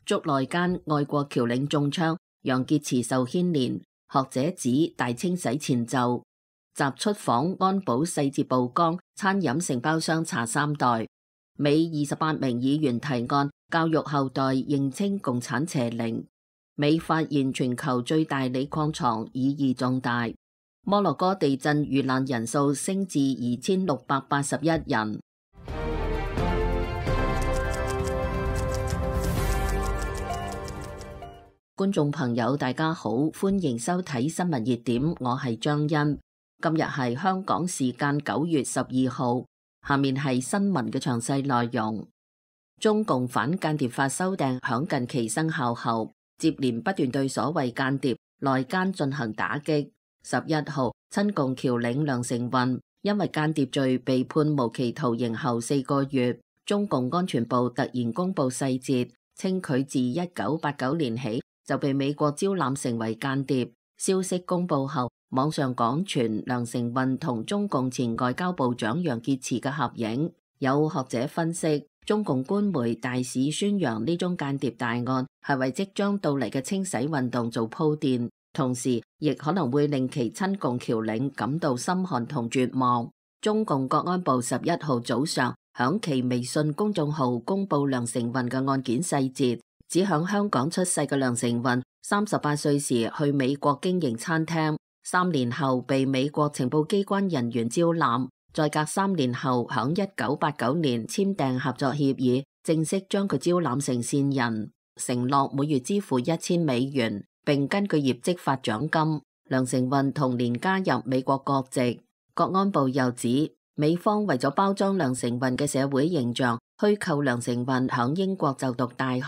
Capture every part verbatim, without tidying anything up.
捉內奸愛國僑領中槍，楊潔篪受牽連，學者指大清洗前奏。集出訪安保細節曝光，餐飲承包商查三代。美二十八名議員提案教育後代認清共產邪靈。美發現全球最大鋰礦藏，意義重大。摩洛哥地震遇難人數升至二千六百八十一人。觀眾朋友大家好，歡迎收睇新聞熱點，我係張欣。今日係香港時間九月十二號，下面係新聞嘅詳細內容。中共反間諜法修訂響近期生效後，接連不斷對所謂間諜內奸進行打擊。十一號，親共僑領梁成運因為間諜罪被判無期徒刑後四個月，中共安全部突然公布細節，稱佢自一九八九年起就被美國招攬成為間諜。消息公布後，網上廣傳梁成運同中共前外交部長楊潔篪嘅合影。有學者分析，中共官媒大肆宣揚呢宗間諜大案係為即將到嚟嘅清洗運動做鋪墊，同時亦可能會令其親共僑領感到心寒同絕望。中共國安部十一號早上響其微信公眾號公布梁成運嘅案件細節，指響香港出世嘅梁成運三十八歲時去美國經營餐廳，三年後被美國情報機關人員招攬，再隔三年後響一九八九年簽訂合作協議，正式將佢招攬成線人，承諾每月支付一千美元，並根據業績發獎金。梁成運同年加入美國國籍。國安部又指，美方為咗包裝梁成運嘅社會形象，虛構梁成運響英國就讀大學，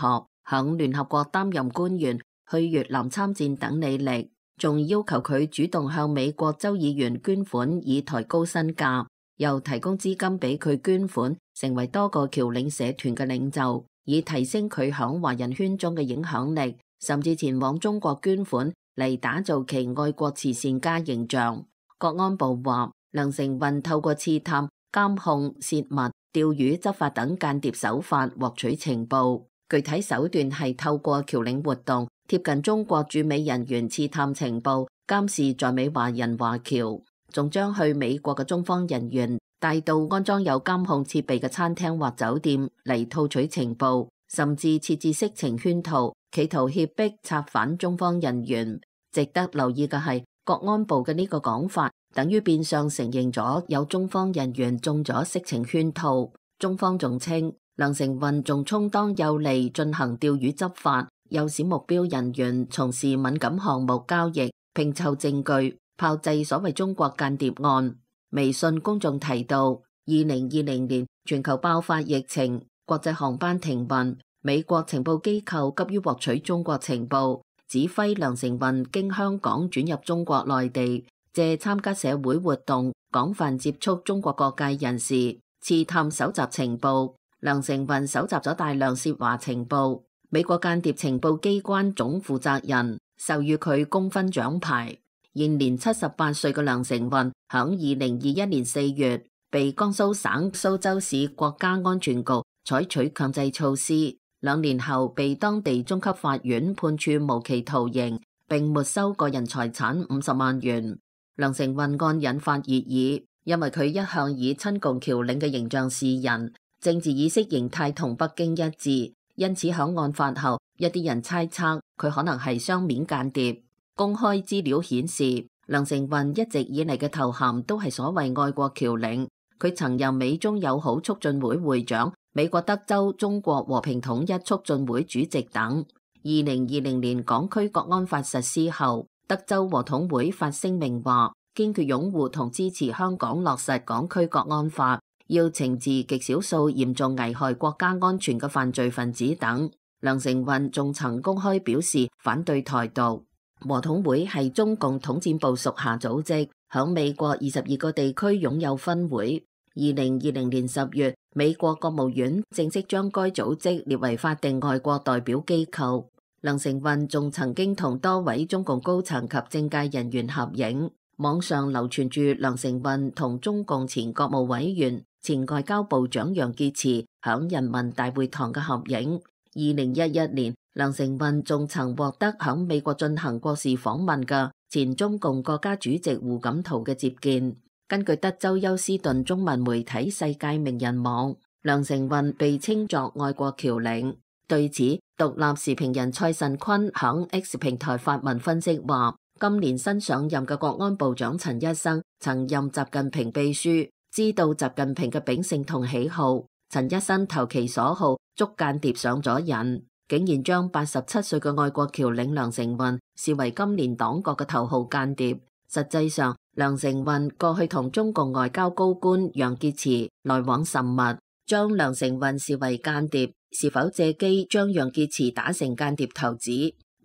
響聯合國擔任官員，去越南參戰等履歷，仲要求佢主動向美國州議員捐款以抬高身價，又提供資金俾佢捐款，成為多個僑領社團嘅領袖，以提升佢響華人圈中嘅影響力，甚至前往中國捐款嚟打造其愛國慈善家形象。國安部話，梁成運透過刺探、監控、泄密、釣魚執法等間諜手法獲取情報，具體手段係透過僑領活動貼近中國駐美人員刺探情報，監視在美華人華僑，仲將去美國嘅中方人員帶到安裝有監控設備嘅餐廳或酒店嚟套取情報，甚至設置色情圈套，企圖脅迫策反中方人員。值得留意嘅係，國安部嘅呢個講法，等於變相承認咗有中方人員中咗色情圈套。中方仲稱，梁成運仲充當有利進行釣魚執法，誘使目標人員從事敏感項目交易，拼湊證據，炮製所謂中國間諜案。微信公眾提到，二零二零年全球爆發疫情，國際航班停運，美國情報機構急於獲取中國情報，指揮梁成運經香港轉入中國內地，借參加社會活動，廣泛接觸中國各界人士，刺探搜集情報。梁成運搜集咗大量涉華情報，美國間諜情報機關總負責人授予佢功勳獎牌。現年七十八歲嘅梁成運，響二零二一年四月被江蘇省蘇州市國家安全局採取強制措施，兩年後被當地中級法院判處無期徒刑，並沒收個人財產五十萬元。梁成運案引發熱議，因為佢一向以親共僑領嘅形象示人，政治意識形態同北京一致，因此響案發後，一啲人猜測佢可能係雙面間諜。公開資料顯示，梁成運一直以嚟嘅頭銜都係所謂愛國僑領，佢曾任美中友好促進會會長、美國德州中國和平統一促進會主席等。二零二零年港區國安法實施後，德州和統會發聲明話，堅決擁護同支持香港落實港區國安法，要懲治極少數嚴重危害國家安全嘅犯罪分子等。梁成運仲曾公開表示反對台獨。和統會係中共統戰部屬下組織，響美國二十二個地區擁有分會。二零二零年十月，美國國務院正式將該組織列為法定外國代表機構。梁成運仲曾經同多位中共高層及政界人員合影，網上流傳住梁成運同中共前國務委員、前外交部長楊潔篪響人民大會堂嘅合影。二零一一年，梁成運仲曾獲得響美國進行國事訪問嘅前中共國家主席胡錦濤嘅接見。根據德州休斯頓中文媒體世界名人網，梁成運被稱作愛國僑領。對此，獨立時評人蔡慎坤響 X 平台發文分析話，今年新上任嘅國安部長陳一生曾任習近平秘書，知道習近平嘅秉性同喜好。陳一生投其所好，捉間諜上咗癮，竟然將八十七歲嘅愛國僑領梁成運視為今年黨國嘅頭號間諜。實際上，梁成運過去同中共外交高官楊潔篪來往甚密，將梁成運視為間諜，是否借機將楊潔篪打成間諜頭子？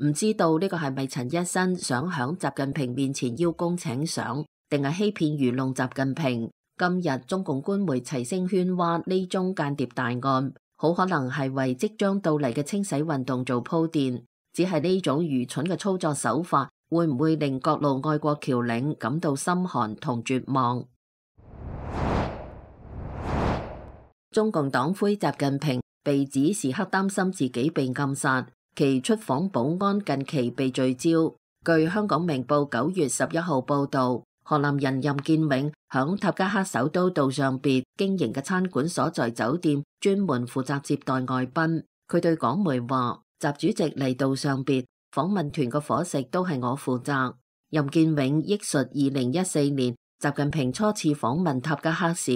唔知道呢個係咪陳一生想響習近平面前邀功請賞，定係欺騙愚弄習近平？今日中共官媒齊聲喧譁呢宗間諜大案，好可能係為即將到嚟嘅清洗運動做鋪墊。只係呢種愚蠢嘅操作手法，會唔會令各路愛國僑領感到心寒同絕望？中共黨魁習近平被指時刻擔心自己被暗殺，其出訪保安近期被聚焦。據香港明報九月十一號報道，河南人任建永響塔吉克首都杜尚別經營嘅餐館所在酒店，專門負責接待外賓。佢對港媒話：習主席嚟杜尚別訪問團嘅伙食都係我負責。任建永憶述二零一四年習近平初次訪問塔吉克時，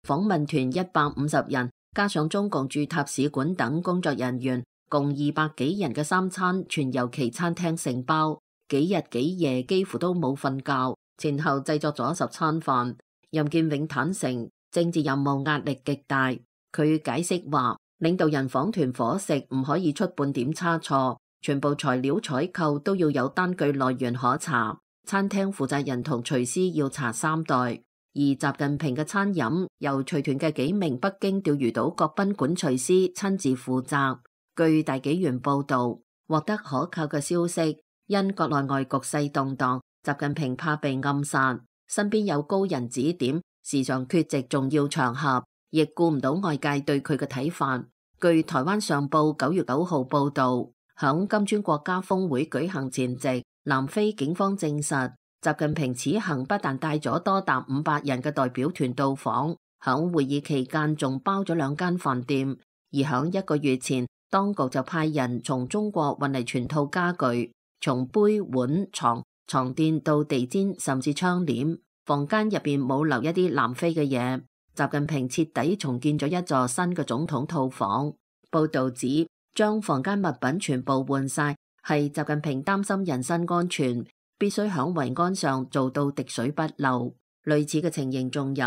訪問團一百五十人，加上中共駐塔使館等工作人員，共二百幾人嘅三餐全由其餐廳承包，幾日幾夜幾乎都冇瞓覺。前後製作咗十餐飯。任建永坦承政治任務壓力極大。佢解釋話，領導人訪團伙食唔可以出半點差錯，全部材料採購都要有單據來源可查。餐廳負責人同廚師要查三代，而習近平嘅餐飲由隨團嘅幾名北京釣魚島國賓館廚師親自負責。據大紀元報道，獲得可靠嘅消息，因國內外局勢動盪，習近平怕被暗殺，身邊有高人指點，時常缺席重要場合，亦顧唔到外界對佢嘅睇法。據台灣上報九月九號報道，響金磚國家峰會舉行前夕，南非警方證實，習近平此行不但帶咗多達五百人嘅代表團到訪，響會議期間仲包咗兩間飯店。而響一個月前，當局就派人從中國運嚟全套家具，從杯碗床、床墊到地氈，甚至窗簾，房間入邊冇留一啲南非嘅嘢。習近平徹底重建咗一座新嘅總統套房。報道指，將房間物品全部換晒，係習近平擔心人身安全，必須響維安上做到滴水不漏。類似嘅情形仲有，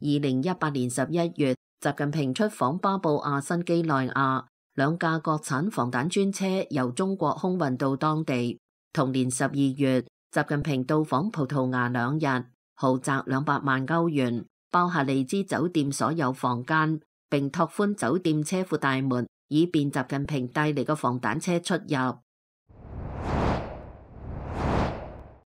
二零一八年十一月，習近平出訪巴布亞新幾內亞，兩架國產防彈專車由中國空運到當地。同年十二月，習近平到訪葡萄牙兩日，豪宅兩百萬歐元，包下利茲酒店所有房間，並拓寬酒店車庫大門，以便習近平帶嚟嘅防彈車出入。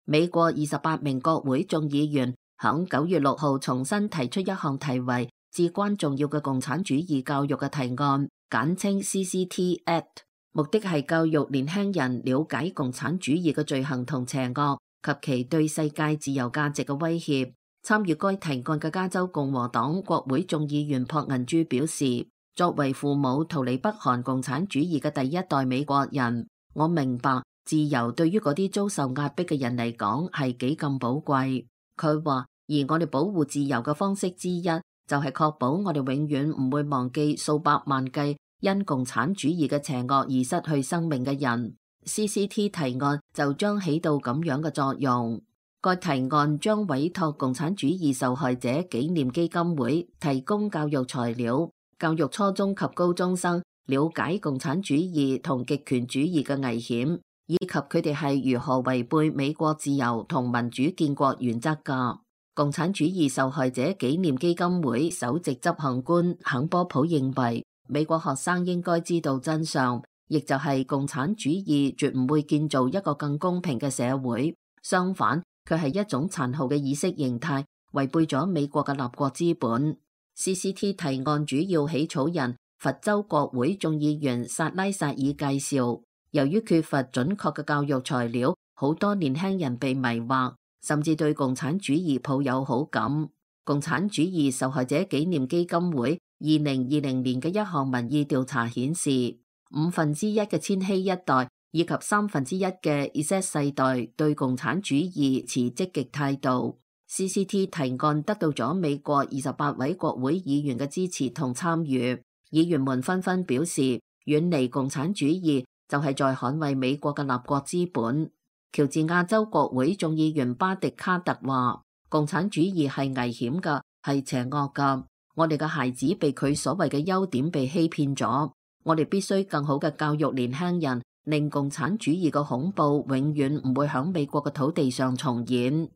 美國二十八名國會眾議員響九月六號重新提出一項題為至關重要嘅共產主義教育嘅提案，簡稱 C C T Act， 目的係教育年輕人了解共產主義嘅罪行同邪惡及其對世界自由價值嘅威脅。參與該提案嘅加州共和黨國會眾議員朴銀珠表示，作為父母逃離北韓共產主義嘅第一代美國人，我明白自由對於嗰啲遭受壓迫嘅人嚟講係幾咁寶貴。佢話，而我哋保護自由嘅方式之一，就係確保我哋永遠唔會忘記數百萬計因共產主義嘅邪惡而失去生命嘅人。C C T 提案就將起到咁樣嘅作用。該提案將委託共產主義受害者紀念基金會提供教育材料，教育初中及高中生了解共產主義同極權主義嘅危險，以及佢哋係如何違背美國自由同民主建國原則㗎。共產主義受害者紀念基金會首席執行官肯波普認為，美國學生應該知道真相，亦就係共產主義絕唔會建造一個更公平嘅社會，相反，佢係一種殘酷嘅意識形態，違背咗美國嘅立國資本。C C T 提案主要起草人佛州國會眾議員薩拉薩爾介紹，由於缺乏準確嘅教育材料，好多年輕人被迷惑，甚至對共產主義抱有好感。共產主義受害者紀念基金會二零二零年嘅一項民意調查顯示，五分之一嘅千禧一代以及三分之一嘅 Z 世代對共產主義持積極態度。C C T 提案得到咗美國二十八位國會議員嘅支持同參與，議員們紛紛表示，遠離共產主義就係在捍衛美國嘅立國資本。喬治亞州國會眾議員巴迪卡特話，共產主義係危險㗎，係邪惡㗎。我哋嘅孩子被佢所謂嘅優點被欺騙咗，我哋必須更好嘅教育年輕人，令共產主義嘅恐怖永遠唔會響美國嘅土地上重演。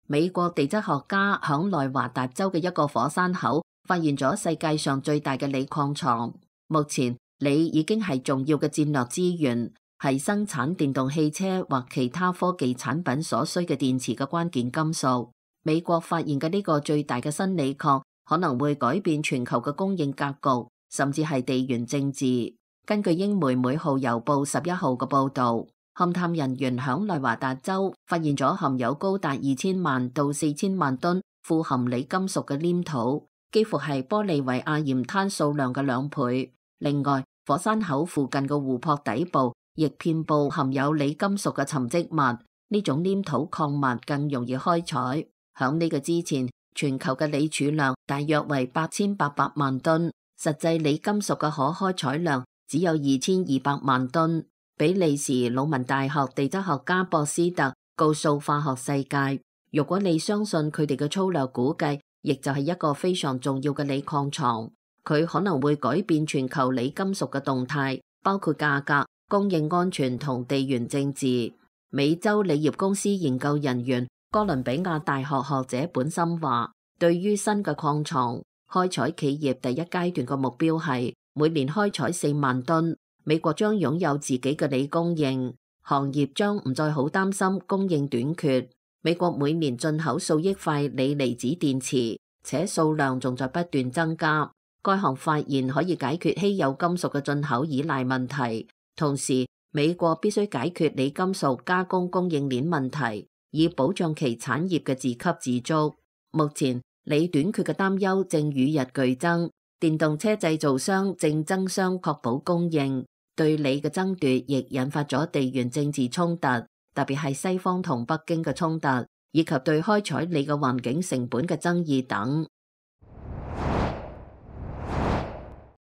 美國地質學家響內華達州嘅一個火山口發現咗世界上最大嘅鋰礦床。目前鋰已經係重要嘅戰略資源，係生產電動汽車或其他科技產品所需嘅電池嘅關鍵金屬。美國發現嘅呢個最大嘅新鋰礦可能會改變全球嘅供應格局，甚至係地緣政治。根據英媒每號郵報十一號嘅報道，勘探人員響內華達州發現咗含有高達二千萬到四千萬噸富含鋰金屬嘅黏土，幾乎係玻利維亞鹽灘數量嘅兩倍。另外，火山口附近嘅湖泊底部亦遍布含有鋰金屬嘅沉積物，呢種黏土礦物更容易開採。響呢個之前，全球嘅鋰儲量大約為八千八百萬噸，實際鋰金屬嘅可開採量只有二千二百萬噸。比利時魯汶大學地質學家博斯特告訴化學世界，如果你相信佢哋嘅粗略估計，亦就係一個非常重要嘅鋰礦床，佢可能會改變全球鋰金屬嘅動態，包括價格、供應安全同地緣政治。美洲鋰業公司研究人員哥倫比亞大學學者本森話，對於新嘅礦床，開採企業第一階段嘅目標係每年開採四萬噸。美國將擁有自己嘅鋰供應，行業將唔再好擔心供應短缺。美國每年進口數億塊鋰離子電池，且數量仲在不斷增加。該項發現可以解決稀有金屬嘅進口依賴問題，同時美國必須解決鋰金屬加工供應鏈問題，以保障其產業嘅自給自足。目前鋰短缺嘅擔憂正與日俱增，電動車製造商正爭相確保供應。對鋰嘅爭奪亦引發咗地緣政治衝突，特別係西方同北京嘅衝突，以及對開採鋰嘅環境成本嘅爭議等。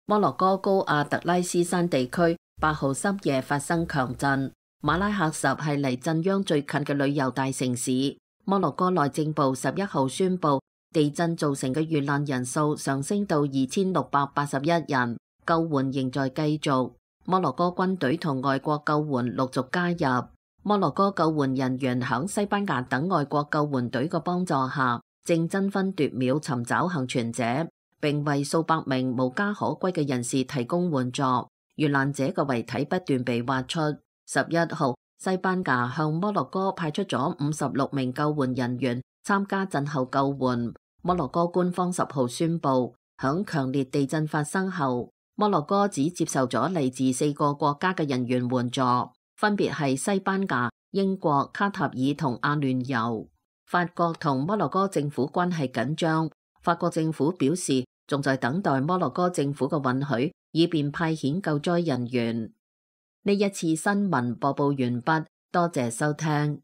摩洛哥高阿特拉斯山地區八號深夜發生強震，馬拉喀什係離震央最近嘅旅遊大城市。摩洛哥內政部十一號宣布，地震造成嘅遇難人數上升到二千六百八十一人，救援仍在繼續。摩洛哥軍隊同外國救援陸續加入。摩洛哥救援人員響西班牙等外國救援隊嘅幫助下，正爭分奪秒尋找幸存者，並為數百名無家可歸嘅人士提供援助。遇難者嘅遺體不斷被挖出。十一號，西班牙向摩洛哥派出咗五十六名救援人員參加震後救援。摩洛哥官方十號宣布，響強烈地震發生後，摩洛哥只接受咗嚟自四個國家嘅人員援助，分別係西班牙、英國、卡塔爾同阿聯酋。法國同摩洛哥政府關係緊張，法國政府表示仲在等待摩洛哥政府嘅允許，以便派遣救災人員。呢一次新聞播報完畢，多謝收聽。